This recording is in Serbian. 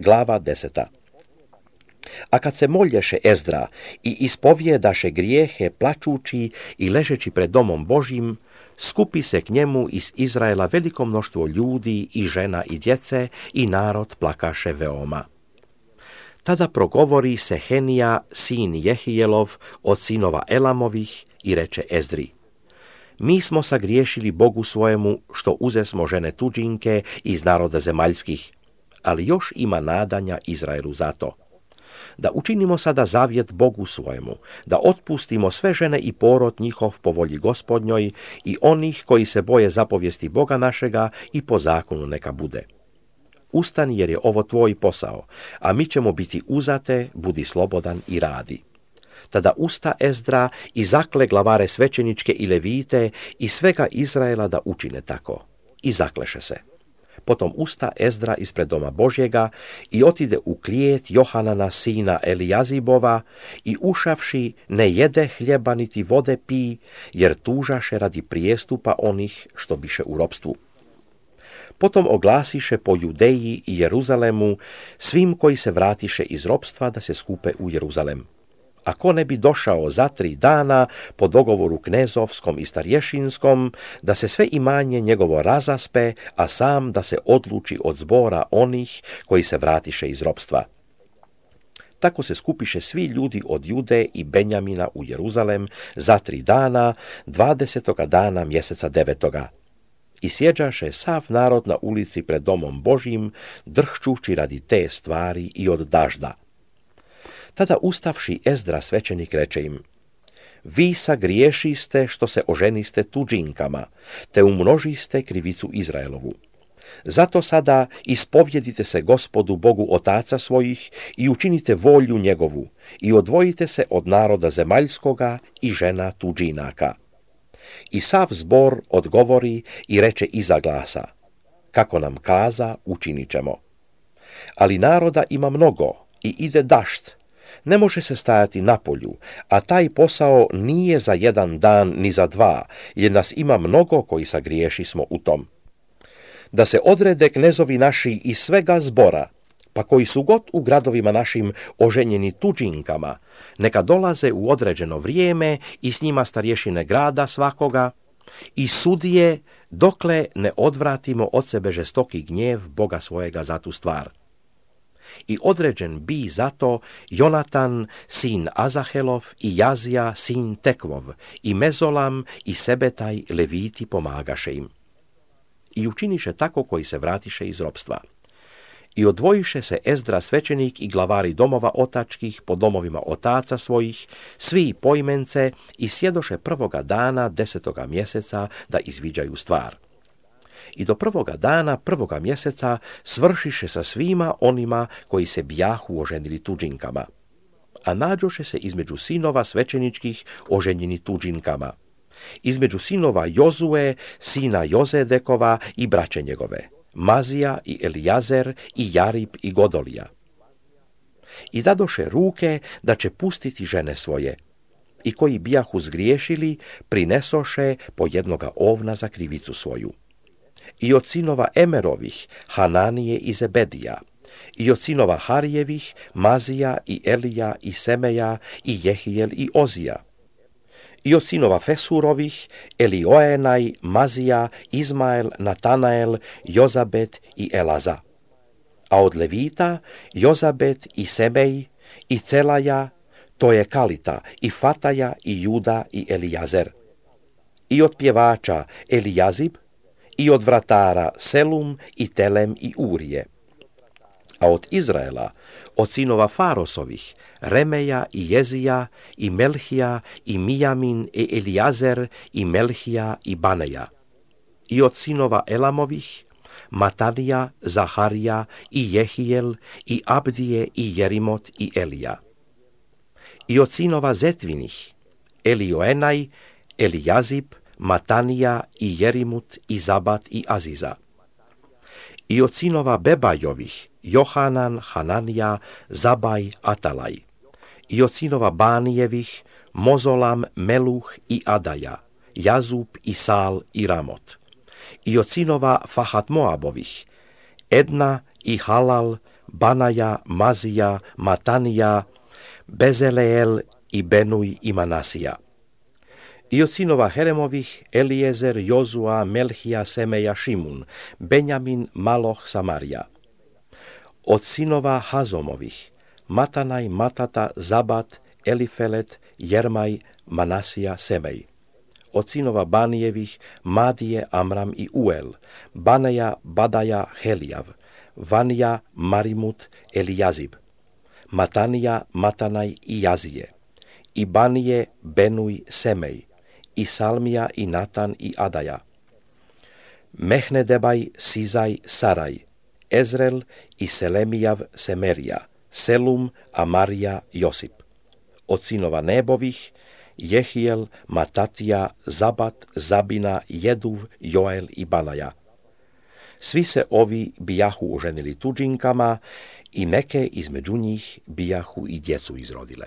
Glava 10. A kad se molješe Ezdra i ispovjedaše grijehe plačući i ležeći pred domom Božjim, skupi se k njemu iz Izraela veliko mnoštvo ljudi i žena i djece i narod plakaše veoma. Tada progovori Sehenija, sin Jehijelov, od sinova Elamovih i reče Ezdri: Mi smo sagriješili Bogu svojemu što uzesmo žene tuđinke iz naroda zemaljskih, ali još ima nadanja Izraelu zato. Da učinimo sada zavjet Bogu svojemu, da otpustimo sve žene i porod njihov po volji Gospodnjoj i onih koji se boje zapovijesti Boga našega i po zakonu neka bude. Ustani jer je ovo tvoj posao, a mi ćemo biti uzate, budi slobodan i radi. Tada usta Ezdra i zakle glavare svećeničke i levite i svega Izraela da učine tako. I zakleše se. Potom usta Ezdra ispred doma Božjega i otide u klijet Johanana sina Elijazibova i ušavši ne jede hljeba niti vode pi, jer tužaše radi prijestupa onih što biše u ropstvu. Potom oglasiše po Judeji i Jeruzalemu svim koji se vratiše iz ropstva da se skupe u Jeruzalem. A ko ne bi došao za 3 dana po dogovoru knezovskom i starješinskom, da se sve imanje njegovo razaspe, a sam da se odluči od zbora onih koji se vratiše iz ropstva. Tako se skupiše svi ljudi od Jude i Benjamina u Jeruzalem za 3 dana, 20. dana mjeseca 9. I sjeđaše sav narod na ulici pred domom Božjim, drhčući radi te stvari i od dažda. Tada ustavši Ezdra svećenik reče im: Vi sagriješiste što se oženiste tuđinkama, te umnožiste krivicu Izraelovu. Zato sada ispovjedite se Gospodu Bogu otaca svojih i učinite volju njegovu i odvojite se od naroda zemaljskoga i žena tuđinaka. I sav zbor odgovori i reče iza glasa: Kako nam kaza, učinit ćemo. Ali naroda ima mnogo i ide dašt, ne može se stajati na polju, a taj posao nije za 1 dan ni za 2, jer nas ima mnogo koji sagriješi smo u tom. Da se odrede knezovi naši iz svega zbora, pa koji su god u gradovima našim oženjeni tuđinkama, neka dolaze u određeno vrijeme i s njima starješine grada svakoga i sudije, dokle ne odvratimo od sebe žestoki gnjev Boga svojega za tu stvar. I određen bi zato Jonatan, sin Azahelov, i Jazija, sin Tekvov, i Mezolam, i Sebetaj, leviti pomagaše im. I učiniše tako koji se vratiše iz ropstva. I odvojiše se Ezdra svećenik i glavari domova otačkih po domovima otaca svojih, svi poimence, i sjedoše 1. dana 10. mjeseca da izviđaju stvar. I do 1. dana 1. mjeseca svršiše sa svima onima koji se bijahu oženili tuđinkama. A nađoše se između sinova svećeničkih oženjeni tuđinkama, između sinova Jozue, sina Jozedekova i braće njegove, Mazija i Elijazer i Jarib i Godolija. I dadoše ruke da će pustiti žene svoje, i koji bijahu zgriješili prinesoše po 1 ovna za krivicu svoju. I od sinova Emerovih, Hananije i Zebedija, i od sinova Harijevih, Mazija i Elija i Semeja i Jehijel i Ozija, i od sinova Fesurovih, Elioenaj, Mazija, Izmael, Natanael, Jozabet i Elaza. A od Levita, Jozabet i Semej, i Celaja, to je Kalita, i Fataja, i Juda, i Elijazer. I od pjevača Elijazib, i od vratara Selum, i Telem, i Urije. A od Izraela, od sinova Farosovih, Remeja i Jezija, i Melhija, i Mijamin, i Elijazer, i Melhija, i Baneja. I od sinova Elamovih, Matanija, Zaharija, i Jehijel, i Abdije, i Jerimot, i Elija. I od sinova Zetvinih, Elioenaj, Elijazib, Matanija, i Jerimut, i Zabat, i Aziza. I od sinova Bebajovih, Johanan, Hananija, Zabaj, Atalaj. I od sinova Banijevih, Mozolam, Meluh i Adaja, Jazub i Sal i Ramot. I od sinova Fahat Moabovih, Edna, i Halal, Banaja, Mazija, Matanija, Bezaleel i Benuj i Manasija. I od sinova Heremovih, Elijezer, Jozua, Melhija, Semeja, Šimun, Benjamin, Maloh, Samarija. Od sinova Hazomovih, Matanaj, Matata, Zabat, Elifelet, Jermaj, Manasija, Semej. Od sinova Banijevih, Madije, Amram i Uel, Banaja, Badaja, Helijav, Vanija, Marimut, Elijazib, Matanija, Matanaj i Jazije, i Banije, Benuj, Semej, i Salmija i Natan i Adaja, Mehnedebaj, Sizaj, Saraj, Ezrel i Selemijav, Semerija, Selum, Amarija, Josip. Od sinova Nebovih, Jehijel, Matatija, Zabat, Zabina, Jeduv, Joel i Banaja. Svi se ovi bijahu oženili tuđinkama i neke između njih bijahu i djecu izrodile.